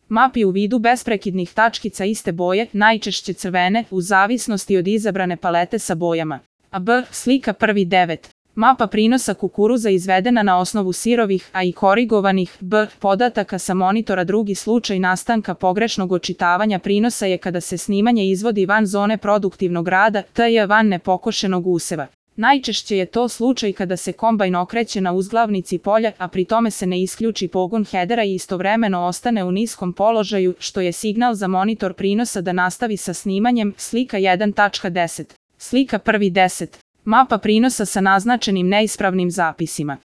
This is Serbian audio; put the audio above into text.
Mapi u vidu besprekidnih tačkica iste boje, najčešće crvene, u zavisnosti od izabrane palete sa bojama. B. Slika 1.9. Mapa prinosa kukuruza izvedena na osnovu sirovih, a i korigovanih podataka sa monitora. Drugi slučaj nastanka pogrešnog očitavanja prinosa je kada se snimanje izvodi van zone produktivnog rada, tj. van nepokošenog useva. Najčešće je to slučaj kada se kombajn okreće na uzglavnici polja, a pri tome se ne isključi pogon hedera i istovremeno ostane u niskom položaju, što je signal za monitor prinosa da nastavi sa snimanjem. Slika 1.10. Slika 1.10. Mapa prinosa sa naznačenim neispravnim zapisima.